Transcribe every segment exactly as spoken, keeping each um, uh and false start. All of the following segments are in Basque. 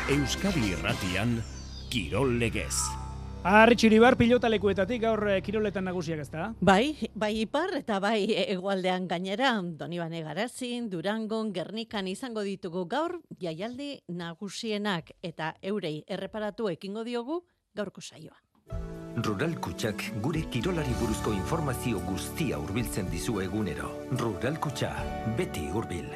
Euskadi Irratian, Kirol Legez. Arri Txiribar pilotalekuetatik gaur kiroletan nagusiak ezta? Bai, bai ipar eta bai hegoaldean gainera, Donibane Garazin, Durangon, Gernikan izango ditugu gaur jaialdi nagusienak eta eurei erreparatu ekingo diogu gaurko saioa. Rural Kutxak gure kirolari buruzko informazio guztia hurbiltzen dizu egunero. Rural Kutxa, beti hurbil.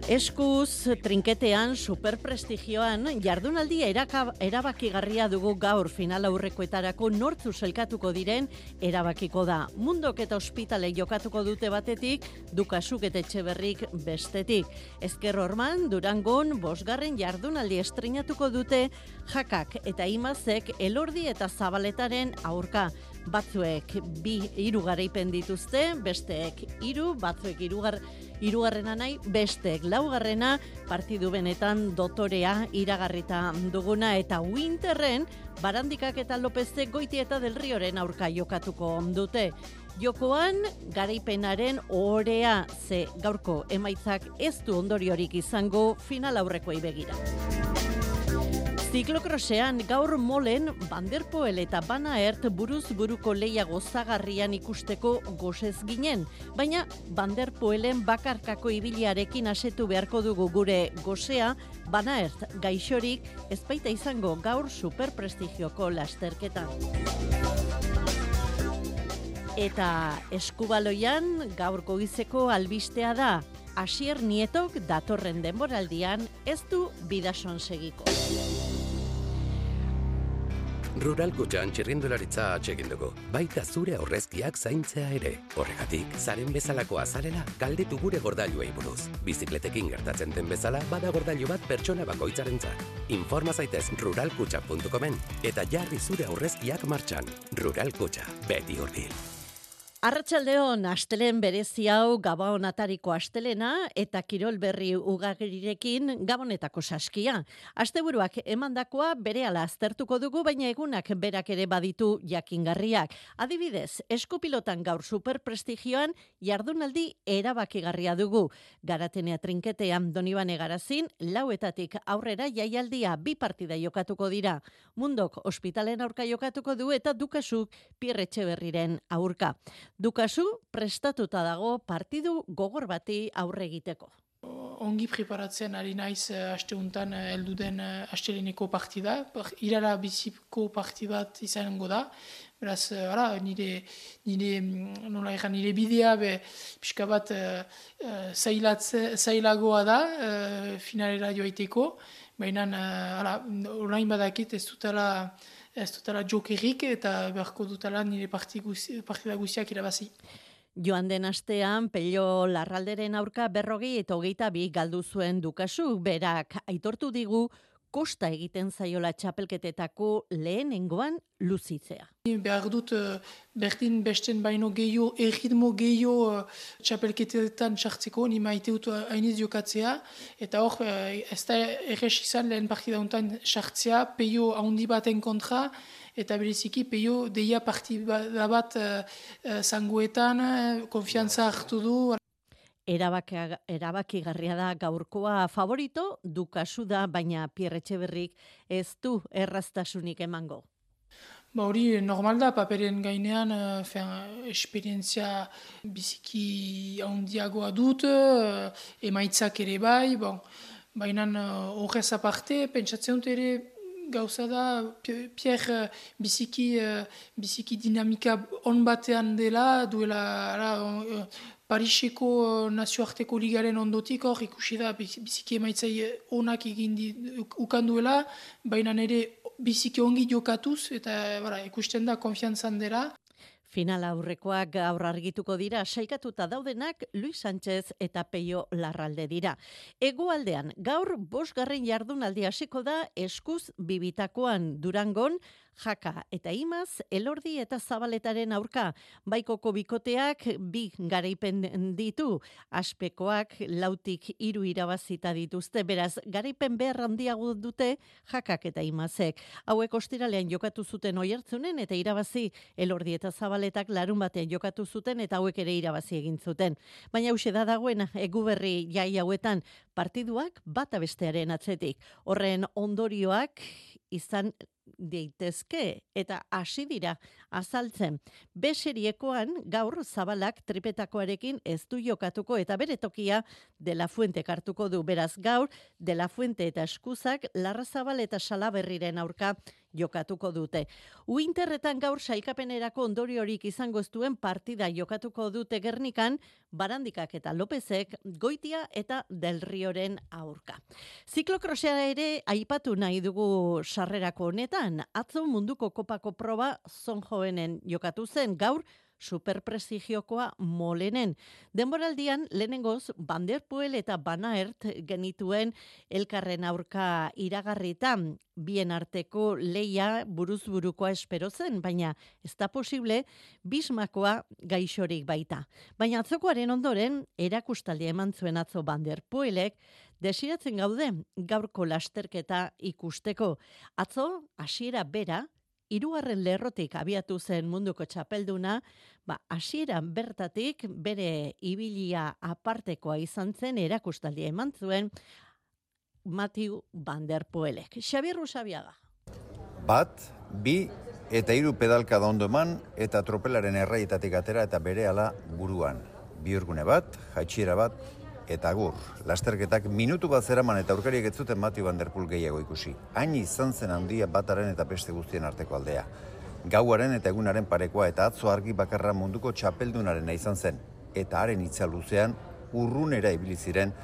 Eskuz, trinketean, superprestigioan, jardunaldi eraka, erabakigarria dugu gaur final aurrekoetarako nortzu selkatuko diren erabakiko da. Mundok eta ospitale jokatuko dute batetik, Dukasuk eta Etxeberrik bestetik. Ezker Orman, Durangon, bosgarren jardunaldi estrenatuko dute Jakak eta Imazek Elordi eta Zabaletaren aurka. Batzuek bi hiru garaipen dituzte, besteek hiru, batzuek hirugar hirugarrena nahi, besteek laugarrena, partidu benetan dotorea iragarrita duguna eta Winterren Barandikak eta Lopezek Goiti eta Del Rioren aurka jokatuko dute. Jokoan garaipenaren orea ze gaurko emaitzak ez du ondoriorik izango final aurrekoei begira. Ziklokrosean gaur molen Van der Poel eta Van Aert buruz buruko leia gozagarrian ikusteko gozez ginen, baina Van der Poelen bakarkako ibiliarekin asetu beharko dugu gure gozea, Van Aert gaixorik ez baita izango gaur superprestigioko lasterketan. Eta eskubaloian gaur goizeko albistea da, Asier Nietok datorren denboraldian ez du bidason segiko. Rural Kutxan txirrindularitza atsegin dugu, baita zure aurrezkiak zaintzea ere. Horregatik, zaren bezalako azarela, galdetu gure gordailuei buruz. Bizikletekin gertatzen den bezala, bada gordailu bat pertsona bakoitzarentzat. Informa zaitez rural kutxa puntu comen eta jarri zure aurrezkiak martxan. Rural Kutxa, beti hurbil. Arratsaldeon, astelen berezi hau Gabon atariko astelena eta kirol berri ugarirekin Gabonetako saskia. Asteburuak emandakoa berehala aztertuko dugu, baina egunak berak ere baditu jakingarriak. Adibidez, eskupilotan gaur superprestigioan jardunaldi erabakigarria dugu. Garatenea trinketean Donibane Garazin, lauetatik aurrera jaialdia bi partida jokatuko dira. Mundok ospitalen aurka jokatuko du eta Dukasuk Pierre Etxeberriren aurka. Dukasu prestatuta dago partidu gogor bati aurre egiteko. Ongi preparatzen ari naiz asteuntan heldu den asteleneko partida, irara biziko parti bat izango da. Beraz, ara, nire, nire, nola egan, nire bidea be, pixka bat uh, zailatze, zailagoa da uh, finalera joaiteko, baina uh, orain badakit ez dutela ez dutela jokerik eta beharko dutela nire partida guziak irabazi. Joan den astean, Pello Larralderen aurka berrogei eta hogeita bi galdu zuen Dukasu, berak aitortu digu kosta egiten zaiola txapelketetako lehenengoan luzitzea. Behar dut berdin besten baino gehiago, erritmo gehiago txapelketetan txartzeko, ni maite dut hainiz jokatzea, eta hor ez da errez izan lehen partida honetan txartzea, peio handi baten kontra, eta bereziki peio deia partida bat zangoetan, konfiantza hartu du. Erabakigarria da gaurkoa favorito, Dukasu da, baina Pierre Etxeberrik ez du erraztasunik emango. Ba hori normal da, paperen gainean fin, esperientzia biziki handiagoa dut, emaitzak ere bai, bon, baina horrez aparte, pentsatzen dut ere gauza da, Pierre biziki, biziki dinamika on batean dela, duela, ara, Pariseko nazioarteko ligaren ondotik hor ikusi da biziki emaitzai onak egin ukanduela, baina nire biziki ongi jokatuz eta bara, ikusten da konfiantzan dela. Final aurrekoak gaur argituko dira, saikatuta daudenak Luis Sánchez eta Pello Larralde dira. Hegoaldean gaur bosgarren jardunaldi hasiko da eskuz bibitakoan Durangon, Jaka eta Imaz, Elordi eta Zabaletaren aurka. Baikoko bikoteak bi garaipen ditu, Aspekoak lautik hiru irabazita dituzte, beraz, garaipen behar handiago dute Jakak eta Imazek. Hauek ostiralean jokatu zuten Oiartzunen eta irabazi, Elordi eta Zabaletak larun batean jokatu zuten eta hauek ere irabazi egin zuten. Baina hauxe da dagoen Eguberri jai hauetan partiduak bata bestearen atzetik. Horren ondorioak izan daitezke eta hasi dira azaltzen. B seriekoan gaur Zabalak tripetakoarekin ez du jokatuko eta bere tokia De La Fuente hartuko du. Beraz gaur De La Fuente eta Eskuzak Larrazabal eta Salaberriren aurka jokatuko dute. Uinterretan gaur sailkapenerako ondoriorik izango ez duen partida jokatuko dute Gernikan, Barandikak eta Lopezek Goitia eta Del Rioren aurka. Ziklokrosea ere aipatu nahi dugu sarrerako honetan. Atzo munduko kopako proba Zonjoenen jokatu zen, gaur superprestigiokoa Molenen. Denboraldian lehenengoz Van der Poel eta Van Aert genituen elkarren aurka iragarritan. Bien arteko leia buruzburukoa espero zen, baina ez da posible Bismakoa gaixorik baita. Baina atzokoaren ondoren erakustaldia eman zuen atzo Van der Poelek, desiratzen gaude gaurko lasterketa ikusteko. Atzo hasiera bera, hirugarren lerrotik abiatu zen munduko txapelduna, ba, hasieran bertatik bere ibilia apartekoa izan zen erakustaldia eman zuen Mathieu Van der Poelek. Xabier Rusabiaga. Bat, bi eta hiru pedalka da ondo eman eta tropelaren erraietatik atera eta berehala buruan. Bihurgune bat, jaitsiera bat, eta agur. Lasterketak minutu bat zeraman eta aurkariek ez zuten Mathieu Van der Poel gehiago ikusi. Hain izan zen handia bataren eta beste guztien arteko aldea. Gauaren eta egunaren parekoa eta atzo argi bakarra munduko txapeldunarena izan zen. Eta haren hitza luzean urrunera ibili ziren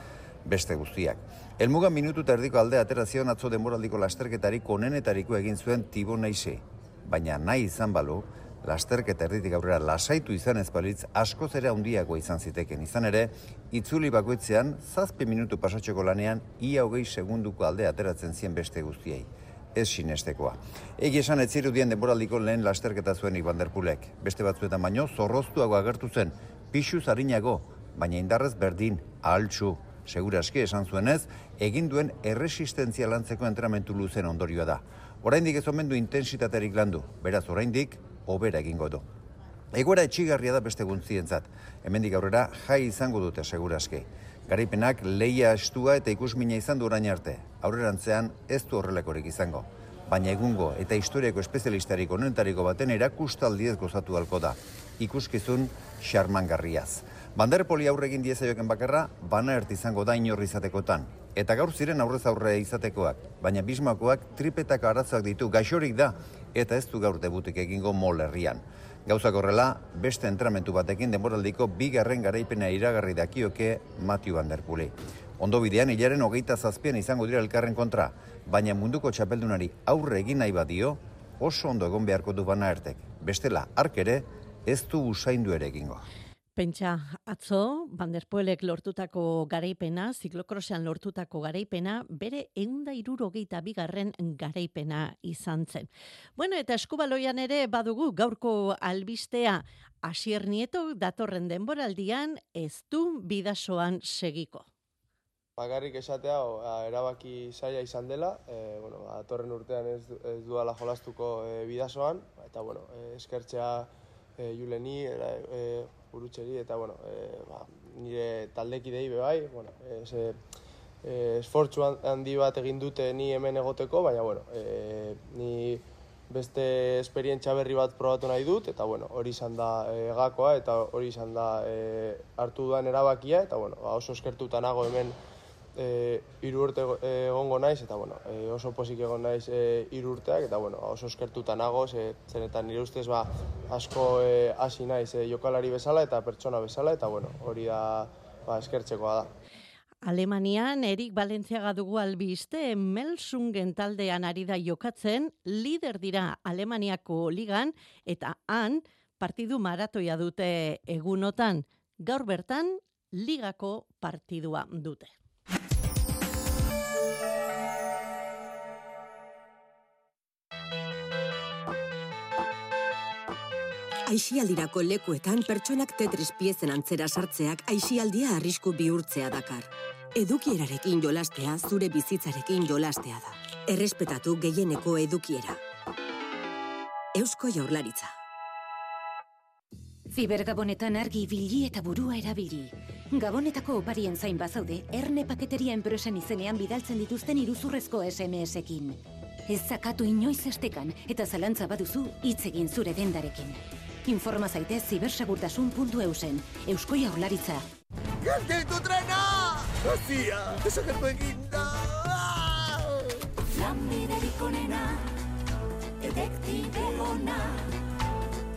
beste guztiak. Helmuga minutu eta erdiko aldea atera zion atzo denboraldiko lasterketarik onenetariko egin zuen Thibaut Neise. Baina nahi izan balu, lasterketa erditik aurrera lasaitu izan ez balitz askoz ere handiagoa izan ziteken. Izan ere, itzuli bakoitzean, zazpi minutu pasatxoko lanean, ia hogei segunduko aldea ateratzen zien beste guztiei. Ez sinestekoa. Egi esan ez zirudien denboraldiko lehen lasterketa zuenik Van der Poelek. Beste batzuetan baino, zorroztuago agertu zen, pixuz harinago, baina indarrez berdin, ahaltsu. Segura aski esan zuenez, egin duen erresistentzia lantzeko entrenamentu luzen ondorioa da. Oraindik ez omen du intensitaterik landu, beraz oraindik hobera egingo du. Egoera etxigarria da beste guntzientzat. Hemendik aurrera jai izango dute seguraski. Garaipenak leia estua eta ikusmina izan du orain arte. Aurrerantzean ez du horrelakorik izango. Baina egungo eta historiako espezialistarik onenetariko baten erakustaldiez gozatu halko da. Ikuskizun xarmangarriaz. Van der Poeli aurre egin diezaioken bakarra, Van Aert izango da inor izatekotan. Eta gaur ziren aurrez aurre izatekoak, baina Bismakoak tripetako arazoak ditu, gaixorik da, eta ez du gaur debutik egingo Mol herrian. Gauzak horrela, beste entramentu batekin denboraldiko bigarren garaipena iragarri dakioke Mathieu Van der Poeli. Ondo bidean, hilaren hogeita zazpian izango dira elkarren kontra, baina munduko txapeldunari aurre egin nahi badio, oso ondo egon beharko du Van Aertek. Bestela, ark ere, ez du usaindu ere egingo. Pentsa, atzo, Van der Poelek lortutako garaipena, ziklokrosean lortutako garaipena, bere ehunda hirurogeita bigarren garaipena izan zen. Bueno, eta eskubaloian ere badugu gaurko albistea, Asier Nieto datorren denboraldian ez du bidasoan segiko. Bakarrik esatea, o, erabaki zaila izan dela, e, bueno, datorren urtean ez, ez duala jolastuko e, bidasoan, eta bueno, e, eskertzea e, Juleni, era, e, burutxeri, eta bueno, e, ba, nire taldekidei bebai, bueno, e, e, esfortzu handi bat egin dute ni hemen egoteko, baina bueno, e, ni beste esperientzia berri bat probatu nahi dut, eta bueno, hori izan da e, gakoa, eta hori izan da e, hartu duan erabakia, eta bueno, ba, oso eskertuta nago hemen e, hiru urte egongo naiz, eta bueno, e, oso pozik egon naiz e, hiru urteak, eta bueno, oso eskertuta nago, ze, zenetan nire ustez ba, asko e, hasi naiz e, jokalari bezala eta pertsona bezala, eta bueno, hori da ba, eskertzekoa da. Alemanian Erik Balentziaga dugu albiste, Melsungen taldean ari da jokatzen, lider dira Alemaniako ligan, eta han partidu maratoia dute egunotan. Gaur bertan, ligako partidua dute. Aisialdirako lekuetan pertsonak Tetris piezen antzera sartzeak aisialdia arrisku bihurtzea dakar. Edukierarekin jolastea zure bizitzarekin jolastea da. Errespetatu gehieneko edukiera. Eusko Jaurlaritza. Zibergabonetan argi ibili eta burua erabili. Gabonetako oparien zain bazaude, Erne Paketeria enpresen izenean bidaltzen dituzten iruzurrezko S M S-ekin. Ez zakatu inoiz estekan eta zalantza baduzu hitz egin zure dendarekin. Informa zaitez zibersegurtasun puntu eusen. Eusko Jaurlaritza. Gelditu trena! Hazia, desagertu eginda! Lanbiderik onena, detektibe ona.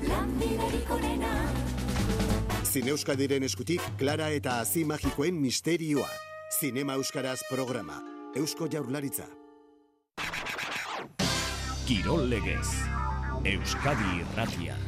Lanbiderik onena. Zine Euskadiren eskutik, Klara eta Hazi Magikoen misterioa. Zinema Euskaraz programa. Eusko Jaurlaritza. Kirol legez. Euskadi Irratia.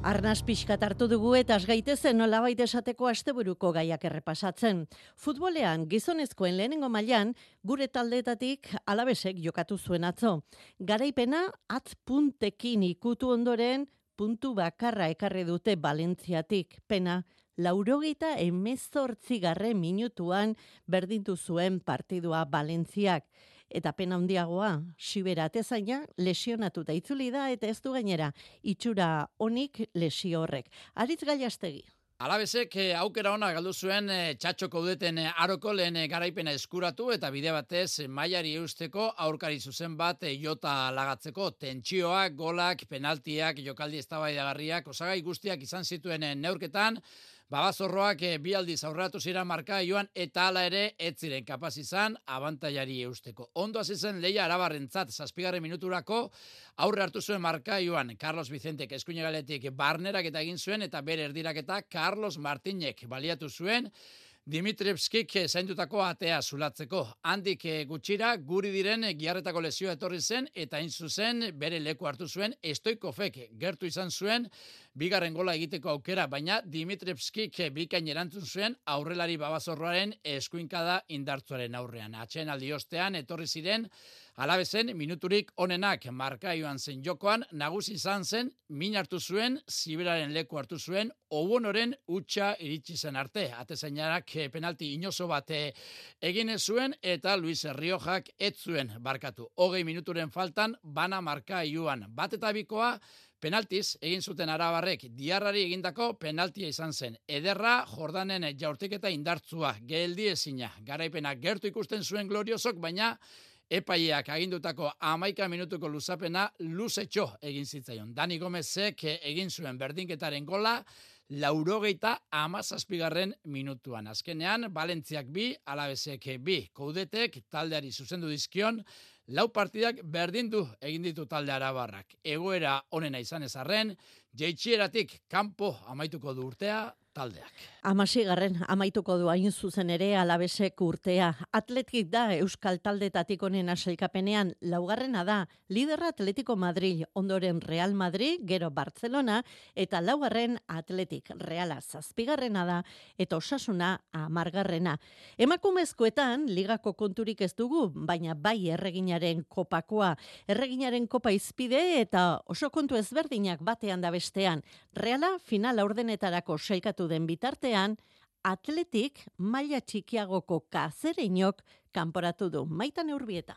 Arnaz pixkat hartu dugu eta asgaitezen nolabait esateko asteburuko gaiak errepasatzen. Futbolean gizonezkoen lehenengo mailan gure taldeetatik Alabesek jokatu zuen atzo. Garaipena atz puntekin ikutu ondoren puntu bakarra ekarri dute Valentziatik. Pena, laurogeita hemezortzigarren minutuan berdintu zuen partidua Valentziak. Eta pena handiagoa, Xibera atezaina lesionatuta itzuli da eta ez du gainera itxura onik lesio horrek. Aritz Gallastegi. Alabesek aukera ona galdu zuen txatxoko udeten aroko lehen garaipena eskuratu eta bide batez mailari eusteko aurkari zuzen bat jota lagatzeko tentsioak, golak, penaltiak, jokaldi eztabaidagarriak, osagai guztiak izan zituen neurketan. Babazorroak bi aldiz aurreratu ziren marka joan eta hala ere ez ziren kapaz izan abantailari eusteko. Ondo hasi zen lehia Arabarrentzat zazpigarren minuturako aurre hartu zuen marka joan Carlos Vicentek eskuinegaletik barnerak eta egin zuen eta bere erdiraketa Carlos Martinek baliatu zuen Dimitrievskik zaindutako atea zulatzeko. Handik gutxira guri diren giarretako lesioa etorri zen eta hain zuzen bere leku hartu zuen Stoikovek gertu izan zuen bigarren gola egiteko aukera, baina Dimitrievskik bikain erantzun zuen aurrelari Babazorroaren eskuinkada indartzuaren aurrean. Atsedenaldi ostean etorri ziren Alabesen minuturik onenak marka joan zen jokoan, nagusi izan zen, min hartu zuen, Ziberaren leku hartu zuen, Obonoren utxa iritsi zen arte. Atezainarak penalti inozo bat egin zuen eta Luis Riojak ez zuen barkatu. Hogei minuturen faltan bana marka joan. Bat eta bikoa penaltiz egin zuten Arabarrek Diarrari egindako penaltia izan zen. Ederra Jordanen jaurtiketa indartzua, geldi ezina. Garaipena gertu ikusten zuen gloriosok, baina epaileak agindutako hamaika minutuko luzapena luzetxo egin zitzaion. Dani Gomezek egin zuen berdinketaren gola, laurogeita hamazazpigarren minutuan. Azkenean, Valentziak bi, Alabesek bi, Koudetek taldeari zuzendu dizkion, lau partidak berdindu egin ditu talde Arabarrak. Egoera onena izan ezarren, jeitsieratik kanpo amaituko du urtea taldeak. Hamaseigarren amaituko du hain zuzen ere Alabesek urtea. Atletik da Euskal Taldetatik onena sailkapenean, laugarrena da liderra Atletico Madrid, ondoren Real Madrid, gero Barcelona, eta laugarren Atletik Reala zazpigarrena da, eta Osasuna hamargarrena. Emakumezkoetan ligako konturik ez dugu, baina bai erreginaren kopakoa. Erreginaren kopa izpide eta oso kontu ezberdinak batean da bestean. Reala final aurdenetarako sailkatu den bitartean, Atletik maila txikiagoko Kazereinok kanporatu du. Maitan Urbieta.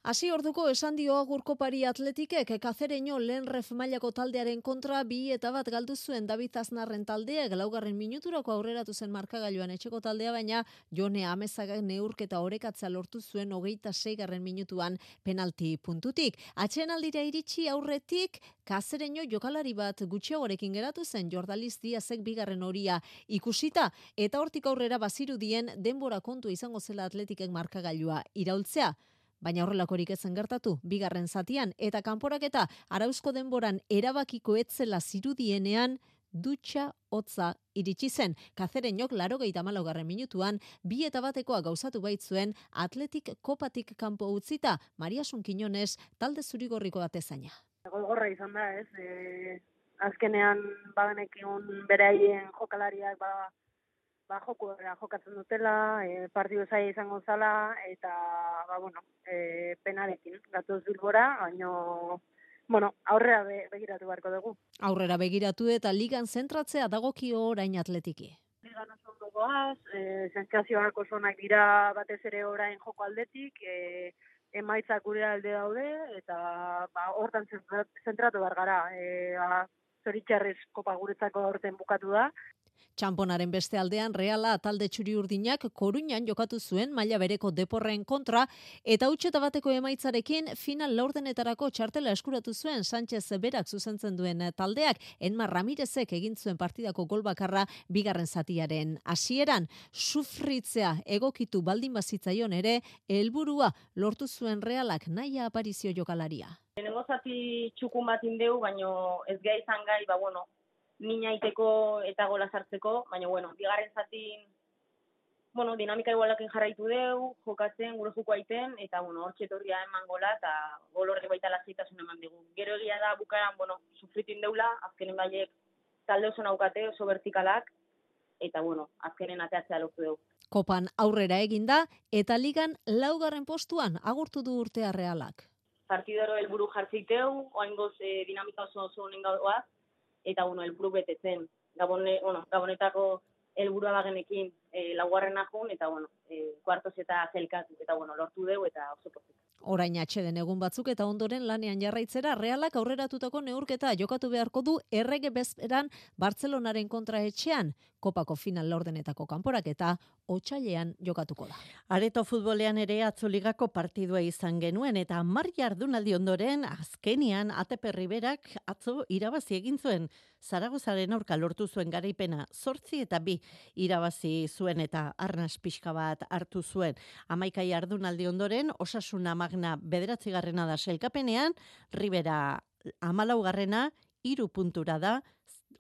Hasi orduko esan dio agurkopari Atletikek Kazereño lehen ref mailako taldearen kontra bi eta bat galdu zuen David Aznarren taldeak laugarren minuturako aurreratu zen markagailuan etxeko taldea, baina Jone Amezagak neurketa orekatza lortu zuen hogeita seigarren minutuan penalti puntutik. Atsedenaldira iritsi aurretik Kazereño jokalari bat gutxiagorekin geratu zen Jordaliz Diazek bigarren horia ikusita eta hortik aurrera bazirudien denbora kontu izango zela Atletikek markagailua iraultzea. Baina horrelakorik ezen gertatu, bigarren zatian, eta kanporaketa arauzko denboran erabakiko etzela zirudienean, dutxa hotza iritsi zen. Kazereñok laurogeita hamalaugarren minutuan, bi eta batekoa gauzatu baitzuen Atletik kopatik kanpo utzita, Mariasun Quiñones talde zurigorriko atezaina. Gogorra izan da, ez? E, azkenean bagenekiun beraien jokalariak ba, ba joko jokatzen dutela, e, partidu zaila izango zala eta ba bueno, e, penarekin gatoz Bilbora, baino bueno, aurrera be, begiratu beharko dugu. Aurrera begiratu eta ligan zentratzea dagokio orain atletiki. Ligan oso ondo goaz, e, sentsazioak oso onak dira batez ere orain joko aldetik, e, emaitzak gure alde daude, eta ba, hortan zentratu behar gara. E, ba, zoritxarrez kopa guretzako horten bukatu da. Txamponaren beste aldean Reala talde txuri-urdinak Koruñan jokatu zuen maila bereko Deporren kontra eta hutseta bateko emaitzarekin final laurdenetarako txartela eskuratu zuen Sánchez berak zuzentzen duen taldeak. Enmar Ramirezek egin zuen partidako gol bakarra bigarren zatiaren hasieran. Sufritzea egokitu baldin bazitzaion ere helburua lortu zuen Realak naia aparizio jokalaria. Lehenengo zati txukun bat indeu, baino ez gai izan gai, ba bueno, mina iteko eta gola sartzeko, baina, bueno, bigarren zatin, bueno, dinamika igualakin jarraitu deu, jokatzen, gure joko aiten, eta, bueno, hor txetorria eman gola, eta gol horrek baita lasaitasun eman dugu. Gero egia da, bukaran, bueno, sufritin deula, azkenen baiek talde oso naukate, oso vertikalak, eta, bueno, azkenen ateatzea lortu dugu. Kopan aurrera eginda, eta ligan laugarren postuan agurtu du urtea Realak. Partidoro helburu jartzeiteu, oaingoz eh, dinamika oso oso honen gauaz, eta bueno, helburu betetzen. Gabone, bueno, Gabonetako helburua bagenekin e, laugarrena jun, eta bueno, e, kuartos eta zelkatu, eta bueno, lortu deu, eta oso pozik. Orain atxeden egun batzuk eta ondoren lanean jarraitzera Realak aurreratutako neurketa jokatu beharko du errege bezperan Bartzelonaren kontra etxean. Kopako final laurdenetako kanporaketa otsailean jokatuko da. Areto futbolean ere atzoligako partidua izan genuen eta hamar jardunaldi ondoren azkenian A T P Riberak atzo irabazi egin zuen. Zaragozaren aurka lortu zuen garaipena zortzi eta bi irabazi zuen eta arnas pixka bat hartu zuen. Hamaika jardunaldi ondoren Osasuna Magna bederatzigarrena da sailkapenean, Ribera hamalaugarrena, hiru puntura da,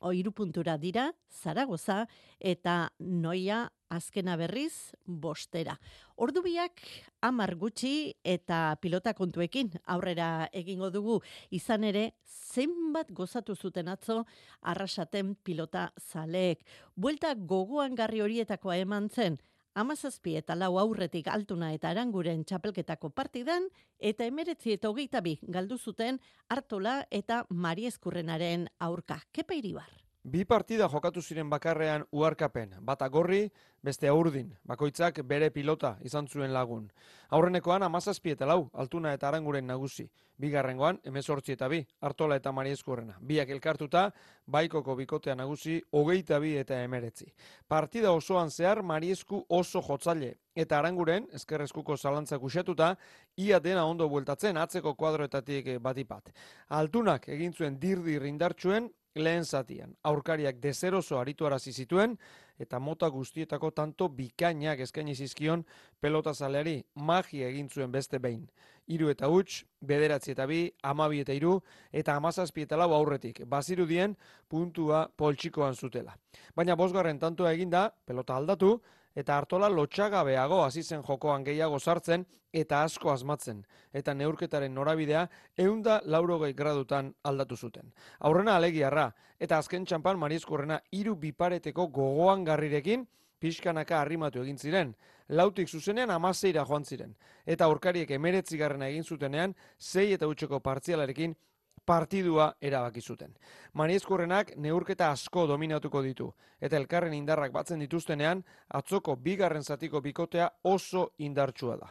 o hiru puntura dira Zaragoza eta Noia azkena berriz bostera. Ordubiak hamar gutxi eta pilota kontuekin aurrera egingo dugu, izan ere zenbat gozatu zuten atzo Arrasaten pilota zaleek. Buelta gogoan garri horietakoa eman zen, hamazazpi eta lau aurretik Altuna eta Aranguren txapelketako partidan, eta emeretzi eta hogeita bi galdu zuten Artola eta Mariezkurrenaren aurka. Kepa Iribar. Bi partida jokatu ziren bakarrean uharkapen, bata gorri, beste urdin, bakoitzak bere pilota izan zuen lagun. Aurrenekoan hamazazpi eta lau, Altuna eta Aranguren nagusi. Bigarrengoan, hemezortzi eta bi, Artola eta Mariezkurrena. Biak elkartuta, baikoko bikotea nagusi, hogeita bi eta emeretzi. Partida osoan zehar Mariezku oso jotzaile, eta Aranguren, ezkerrezkuko zalantzak usatuta, ia dena ondo bueltatzen atzeko kuadroetatik batipat. Altunak egin zuen dirdir indartsuen, lehen zatian, aurkariak dezeroso arituarazi zituen, eta mota guztietako tanto bikainak eskaini zizkion pelotazaleari magia egin zuen beste behin. Hiru eta huts, bederatzi eta bi, hamabi eta hiru, eta hamazazpi eta lau aurretik, bazirudien puntua poltsikoan zutela. Baina bosgarren tantoa eginda, pelota aldatu, eta Artola lotxagabeago hasi zen jokoan gehiago sartzen eta asko asmatzen, eta neurketaren norabidea ehunda laurogei gradutan aldatu zuten. Aurrena alegiarra, eta azken txampan Mariezkurrena hiru bipareteko gogoan garrirekin pixkanaka arrimatu egin ziren, lautik zuzenean hamaseira joan ziren, eta aurkariek emeretzigarrena egin zutenean sei eta hutseko partzialarekin partidua erabaki zuten. Mariezkurrenak neurketa asko dominatuko ditu, eta elkarren indarrak batzen dituztenean, atzoko bigarren zatiko bikotea oso indartsua da.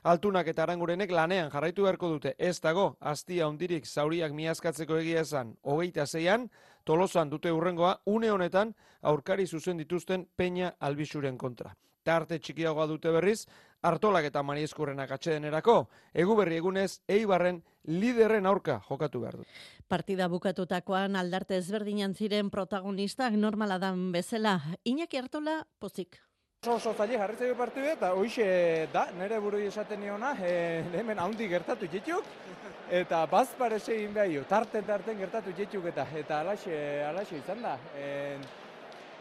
Altunak eta Arangurenek lanean jarraitu beharko dute, ez dago, aztia hundirik zauriak miazkatzeko egia esan, hogeita zeian, Tolosan dute hurrengoa, une honetan aurkari zuzen dituzten Peña Albisuren kontra. Tarte txikiagoa dute berriz, Artolak eta Mariezkurrenak atsedenerako, Eguberri egunez, Eibarren liderren aurka jokatu behar du. Partida bukatutakoan aldarte ezberdinan ziren protagonistak normala dan bezala. Iñaki Artola, pozik. Oso oso zaila jarritzeko partidu eta hoxe da, nire buru esaten niona, e, hemen haundi gertatu jetuk, eta bazpare egin behar, tarten-tarten gertatu jetuk eta eta alaxe, alaxe izan da. E,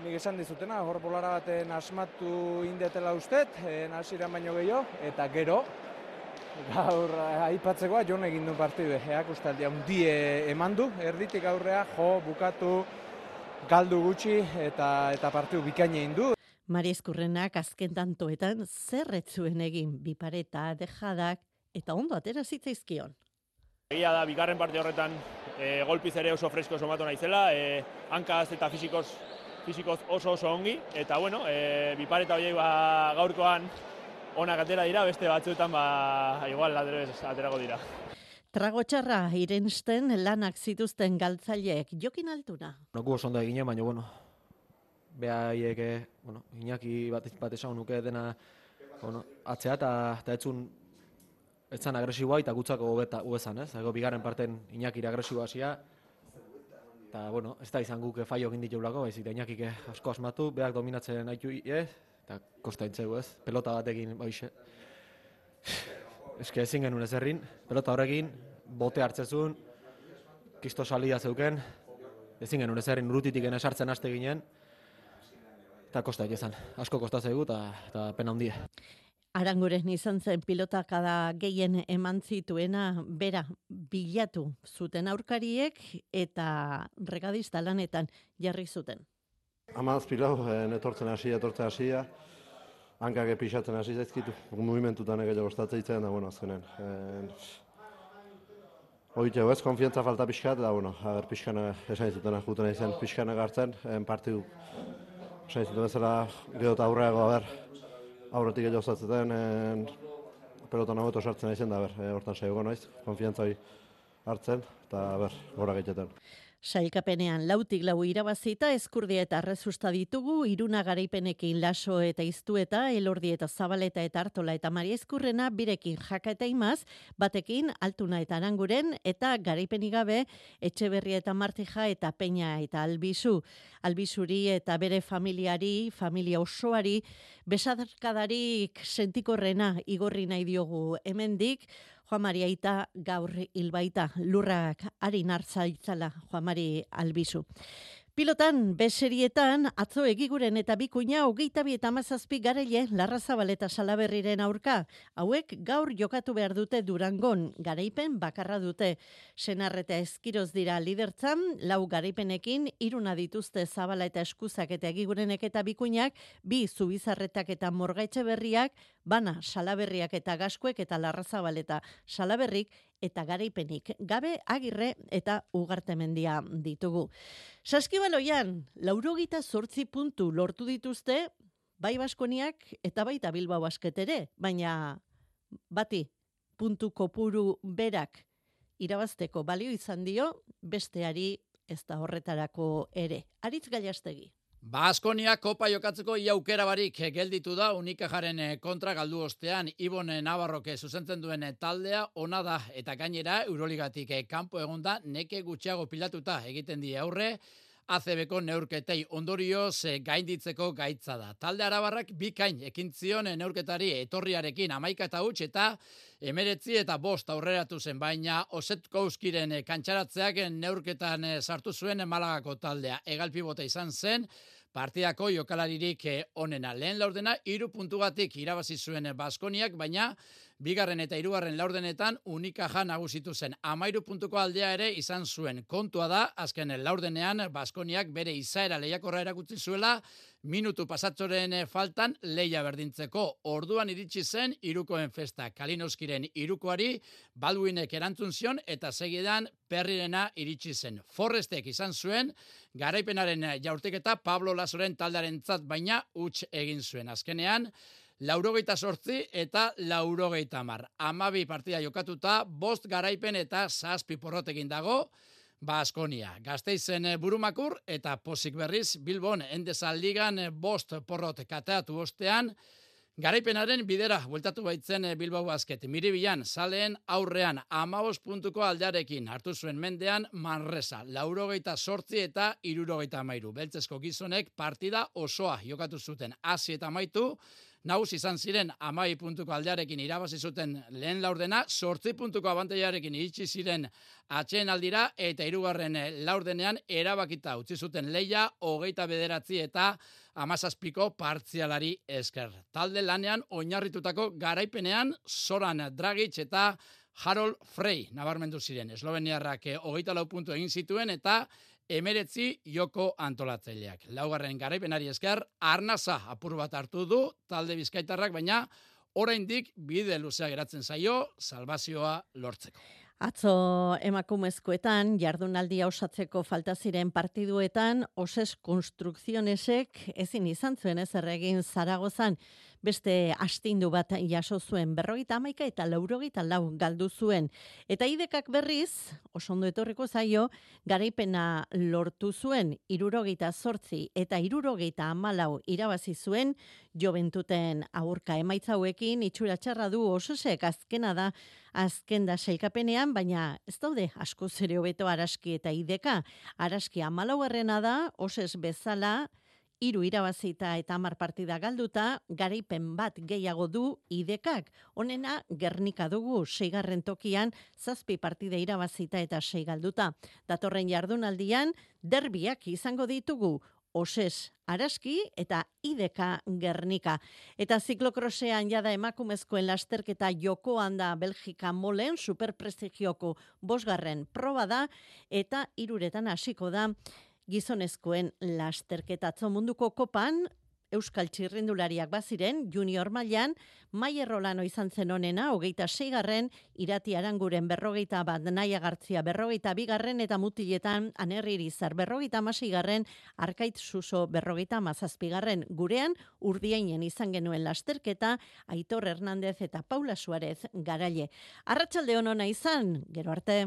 nik esan dizutena, hor bolara baten asmatu indetela ustet, e, nasiran baino gehiago, eta gero, gaur aipatzekoa jon egin du partidu, eak ustaldia hundie eman du, erditik aurrea, jo, bukatu, galdu gutxi eta, eta partidu bikaina egin du. Mariezkurrenak azken tantoetan zer ez zuen egin bipareta, dejadak eta ondo atera zitzaizkion. Egia da, bigarren parte horretan e, golpiz ere oso fresko somatu naizela, e, hankaz eta fisikoz, fisikoz oso oso ongi, eta bueno, e, bipareta horiek ba, gaurkoan onak atera dira, beste batzuetan ba, igual ladrez aterako dira. Trago txarra irensten lanak zituzten galtzaileek, Jokin Altuna. No, gu oso ondo egine, baina, bueno, behaiek, bueno, Iñaki bat, bat esan nuke dena, bueno, atzea eta etzun etzan agresiboa eta gutzako hobezan, ez? Ego bigarren parten Iñakira agresiboa hasia, eta, bueno, ez da izan guk faio egin ditugulako, baizik, Iñakik asko asmatu, berak dominatzen haitu, ez? Eta kosta intzegu, ez? Pelota batekin, baixe. Eske ezin genuen ezerrin, pelota horrekin, bote hartzezun, kisto salia zeuken, ezin genuen ezerrin urutitik esartzen haste ginen, eta kosta egizan, asko kosta zaigu eta pena handia. Aranguren izan zen pilotakada gehien eman zituena bera bilatu zuten aurkariek eta regadista lanetan jarri zuten. Amaz pilau, netortzen hasia, etortzen hasia, hankak epixatzen hasi zaizkitu, movimentutan egelo gostatzen itzen, da, bueno, azkenen. Oite, ez, konfiantza falta pixkat, da, bueno, ager pixkana esan izutena jutena izan pixkana gartzen, partidu esan izuten bezala gero eta aurreago, aber, aurretik egelo gostatzen, pelotan hau sartzen izan, da, ber, hortan saiogo noiz, konfiantza hori hartzen, eta, ber, gora gaiteten. Sailkapenean lautik lau irabazita Ezkurdia eta Arrezusta ditugu, Iruna garaipenekin Laso eta Iztueta, Elordi eta Zabaleta eta Artola eta Maria Ezkurrena, birekin Jaka eta Imaz, batekin Altuna eta Aranguren, eta garaipenik gabe Etxeberria eta Martija eta Peña eta Albizu. Albizuri eta bere familiari, familia osoari, besadarkadarik sentikorrena igorri nahi diogu hemendik, Juan Mari Aita gaur hilbaita, lurrak harin hartzaitzala Juan Mari Albizu. Pilotan, beserietan, atzo Egiguren eta Bikuña hogeita bi eta hamazazpi garaile Larrazabal eta Salaberriren aurka. Hauek gaur jokatu behar dute Durangon, garaipen bakarra dute. Senar eta Ezkiroz dira lidertzan, lau garaipenekin, iruna dituzte Zabala eta Eskuzak eta Egigurenek eta Bikuñak, bi Zubizarretak eta Morgaitxe berriak, bana Salaberriak eta Gaskuek eta Larrazabal eta Salaberrik, eta garaipenik gabe Agirre eta Ugartemendia ditugu. Saskibaloian, laurogita zortzi puntu lortu dituzte, bai Baskoniak eta baita Bilbao Basket ere, baina bati puntu kopuru berak irabazteko balio izan dio, besteari ez da horretarako ere. Aritz Gallastegi. Baskonia kopa jokatzeko ia aukera barik gelditu da Unikajaren kontra galdu ostean Ibon Navarroke zuzentzen duen taldea ona da eta gainera Euroligatik kanpo egonda neke gutxiago pilatuta egiten die aurre A C Bko neurketei ondorioz gainditzeko gaitza da. Talde arabarrak bikain ekin zion neurketari etorriarekin hamaika eta huts eta emeretzi eta bost aurreratu zen, baina Osetkowskiren kantxaratzeak neurketan sartu zuen Malagako taldea. Egalpibota izan zen, partidako jokalaririk onena. Lehen laurdena, hiru puntugatik irabazi zuen Baskoniak, baina bigarren eta hirugarren laurdenetan Unikaja nagusitu zen. Hamairu puntuko aldea ere izan zuen. Kontua da, azken laurdenean Baskoniak bere izaera lehiakorra erakutsi zuela, minutu pasatzoren faltan lehia berdintzeko. Orduan iritsi zen hirukoen festa. Kalinowskiren hirukoari Baldwinek erantzun zion eta segidan Perrirena iritsi zen. Forrestek izan zuen garaipenaren jaurtiketa Pablo Lasoren taldearentzat baina huts egin zuen. Azkenean laurogeita sortzi eta laurogeita hamar. Hamabi partida jokatuta, bost garaipen eta zazpi porrotekin dago Baskonia. Gasteizen burumakur eta pozik berriz Bilbon Endesa ligan bost porrot kateatu ostean, garaipenaren bidera bueltatu baitzen Bilbao Basket. Miribilan, zaleen aurrean hamabost puntuko aldearekin hartu zuen mendean Manresa. Laurogeita sortzi eta hirurogeita hamairu. Beltzezko gizonek partida osoa jokatu zuten. Hasi eta amaitu, nagusi izan ziren hamabi puntuko aldearekin irabazi zuten lehen laurdena, sortzi puntuko abantailarekin iritsi ziren atxeen aldira eta hirugarren laurdenean erabakita utzi zuten lehia hogeita bederatzi eta hamazazpiko partzialari esker. Talde lanean oinarritutako garaipenean Zoran Dragic eta Harold Frey nabarmendu ziren. Esloveniarrak hogeita lau puntu egin zituen eta emeretzi joko antolatzaileak. Laugarren garaipenari esker, arnasa apur bat hartu du talde bizkaitarrak, baina oraindik bide luzea geratzen zaio salbazioa lortzeko. Atzo emakumezkoetan, jardunaldia osatzeko falta ziren partiduetan, Oses Construccionesek ezin izan zuen ezer egin Zaragozan, beste astindu bat jaso zuen, berrogeita hamaika eta laurogeita lau galdu zuen. Eta idekak berriz, oso ondo etorriko zaio, garaipena lortu zuen, hirurogeita zortzi eta hirurogeita hamalau irabazi zuen, Joventuten aurka emaitza hauekin itxura txarra du Osesek, azkena da, azken da sailkapenean, baina ez daude asko zere hobeto Araski eta Ideka. Araski hamalaugarrena da, Oses bezala, hiru irabazita eta hamar partida galduta, garaipen bat gehiago du Idekak. Honena Gernika dugu, seigarren tokian, zazpi partida irabazita eta sei galduta. Datorren jardunaldian, derbiak izango ditugu, Oses Araski eta Ideka Gernika. Eta ziklokrosean jada emakumezkoen lasterketa jokoan da Belgika molen, superprestigioko bosgarren proba da, eta hiruretan hasiko da gizonezkoen lasterketa. Atzo munduko kopan, Euskal txirrindulariak baziren, junior mailan, Maier Rolano izan zen onena, hogeita seigarren, Irati Aranguren berrogeita bat, Naia Gartzia berrogeita bigarren, eta mutiletan Anerri Irizar berrogeita hamaseigarren, Arkait Suso berrogeita hamazazpigarren. Gurean, Urdiainen izan genuen lasterketa, Aitor Hernandez eta Paula Suarez garaile. Arratsalde on ona izan, gero arte.